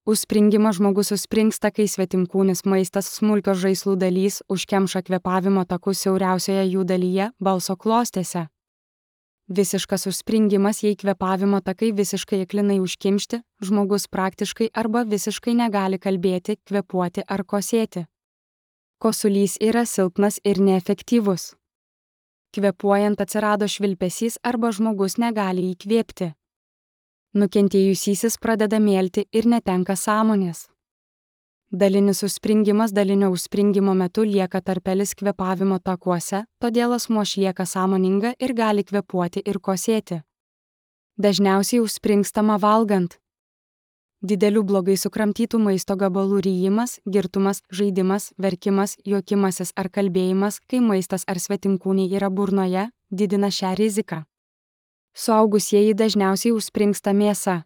Užspringimas žmogus užspringsta, kai svetimkūnis maistas smulkios žaislų dalys užkemša kvėpavimo takus siauriausioje jų dalyje – balso klostėse. Visiškas užspringimas, jei kvėpavimo takai visiškai aklinai užkimšti, žmogus praktiškai arba visiškai negali kalbėti, kvėpuoti ar kosėti. Kosulys yra silpnas ir neefektyvus. Kvėpuojant atsirado švilpesys arba žmogus negali įkvėpti. Nukentėjusysis pradeda mėlti ir netenka sąmonės. Dalinis užspringimas dalinio užspringimo metu lieka tarpelis kvėpavimo takuose, todėl asmuo išlieka sąmoninga ir gali kvėpuoti ir kosėti. Dažniausiai užspringstama valgant. Didelių blogai sukramtytų maisto gabalų ryjimas, girtumas, žaidimas, verkimas, juokimasis ar kalbėjimas, kai maistas ar svetimkūniai yra burnoje, didina šią riziką. Suaugusieji dažniausiai užspringsta mėsa.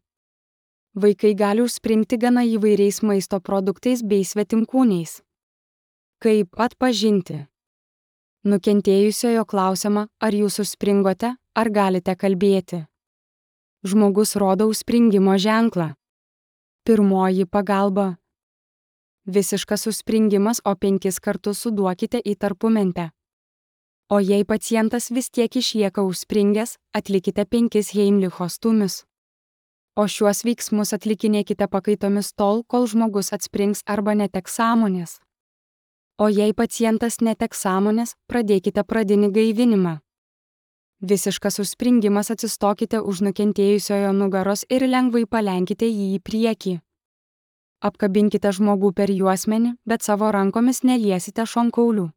Vaikai gali užspringti gana įvairiais maisto produktais bei svetimkūniais. Kaip atpažinti? Nukentėjusiojo klausiama, ar jūs užspringote, ar galite kalbėti. Žmogus rodo užspringimo ženklą. Pirmoji pagalba. Visiškas užspringimas, o 5 kartus suduokite į tarpumentę. O jei pacientas vis tiek išlieka užspringęs, atlikite 5 Heimlicho stūmius. O šiuos veiksmus atlikinėkite pakaitomis tol, kol žmogus atsprings arba neteks sąmonės. O jei pacientas neteks sąmonės, pradėkite pradinį gaivinimą. Visiškas užspringimas, atsistokite už nukentėjusiojo nugaros ir lengvai palenkite jį į priekį. Apkabinkite žmogų per juosmenį, bet savo rankomis neliesite šonkaulių.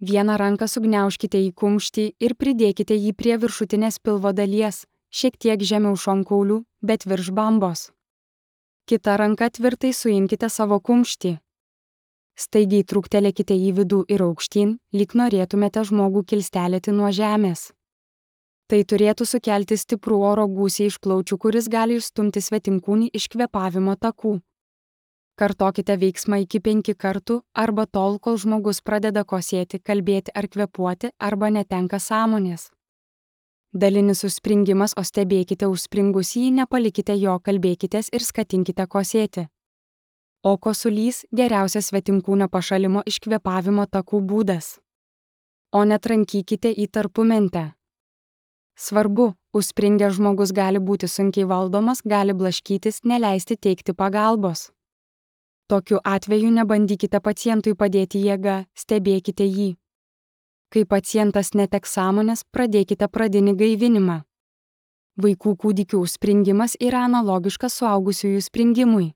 Vieną ranką sugniaužkite į kumštį ir pridėkite jį prie viršutinės pilvo dalies, šiek tiek žemiau šonkaulių, bet virš bambos. Kita ranka tvirtai suimkite savo kumštį. Staigiai trūktelėkite į vidų ir aukštyn, lyg norėtumėte žmogų kilstelėti nuo žemės. Tai turėtų sukelti stiprų oro gūsį iš plaučių, kuris gali išstumti svetimkūnį iš kvėpavimo takų. Kartokite veiksmą iki 5 kartų arba tol, kol žmogus pradeda kosėti, kalbėti ar kvėpuoti arba netenka sąmonės. Dalinis užspringimas, o stebėkite užspringusį, nepalikite jo, kalbėkitės ir skatinkite kosėti. O kosulys – geriausias svetimkūnio pašalimo iš kvėpavimo takų būdas. O netrankykite į tarpumentę. Svarbu, užspringęs žmogus gali būti sunkiai valdomas, gali blaškytis, neleisti teikti pagalbos. Tokiu atveju nebandykite pacientui padėti jėga, stebėkite jį. Kai pacientas neteks sąmonės, pradėkite pradinį gaivinimą. Vaikų kūdikių užspringimas yra analogiškas suaugusiųjų springimui.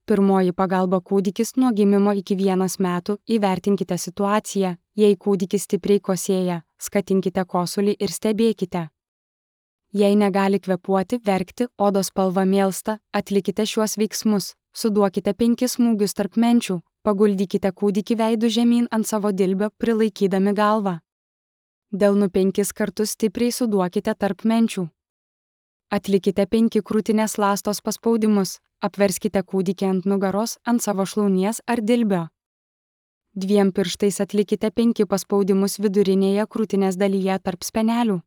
Pirmoji pagalba – kūdikis nuo gimimo iki 1 metų, įvertinkite situaciją, jei kūdikis stipriai kosėja, skatinkite kosulį ir stebėkite. Jei negali kvėpuoti, verkti, odos spalva mėlsta, atlikite šiuos veiksmus, suduokite 5 smūgius tarp menčių, paguldykite kūdikį veidu žemyn ant savo dilbio, prilaikydami galvą. Delnu 5 kartus stipriai suduokite tarp menčių. Atlikite 5 krūtinės ląstos paspaudimus, apverskite kūdikį ant nugaros, ant savo šlaunies ar dilbio. 2 pirštais atlikite 5 paspaudimus vidurinėje krūtinės dalyje tarp spenelių.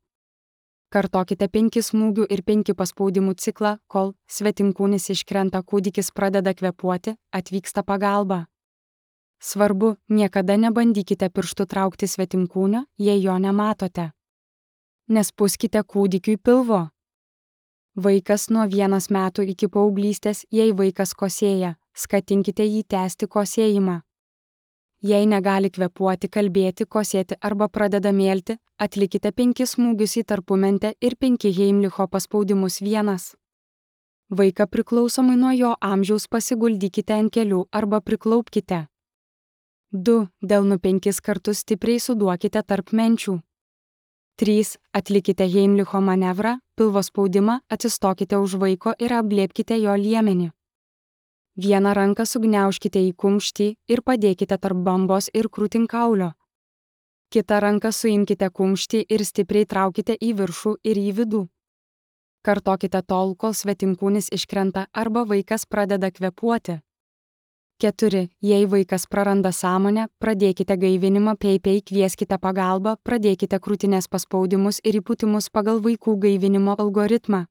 Kartokite 5 smūgių ir 5 paspaudimų ciklą, kol svetimkūnis iškrenta, kūdikis pradeda kvėpuoti, atvyksta pagalba. Svarbu, niekada nebandykite pirštų traukti svetimkūnio, jei jo nematote. Nespūskite kūdikiui pilvo. Vaikas nuo 1 metų iki paauglystės, jei vaikas kosėja, skatinkite jį tęsti kosėjimą. Jei negali kvėpuoti, kalbėti, kosėti arba pradeda mėlti, atlikite 5 smūgius į tarpumentę ir 5 Heimlicho paspaudimus 1. Vaiką priklausomai nuo jo amžiaus pasiguldykite ant kelių arba priklaupkite. 2. Delnu 5 kartus stipriai suduokite tarp menčių. 3. Atlikite Heimlicho manevrą, pilvo spaudimą, atsistokite už vaiko ir apglėbkite jo liemenį. Vieną ranką sugniaužkite į kumštį ir padėkite tarp bambos ir krūtinkaulio. Kitą ranką suimkite kumštį ir stipriai traukite į viršų ir į vidų. Kartokite tol, kol svetimkūnis iškrenta arba vaikas pradeda kvėpuoti. 4. Jei vaikas praranda sąmonę, pradėkite gaivinimą, kvieskite pagalbą, pradėkite krūtinės paspaudimus ir įpūtimus pagal vaikų gaivinimo algoritmą.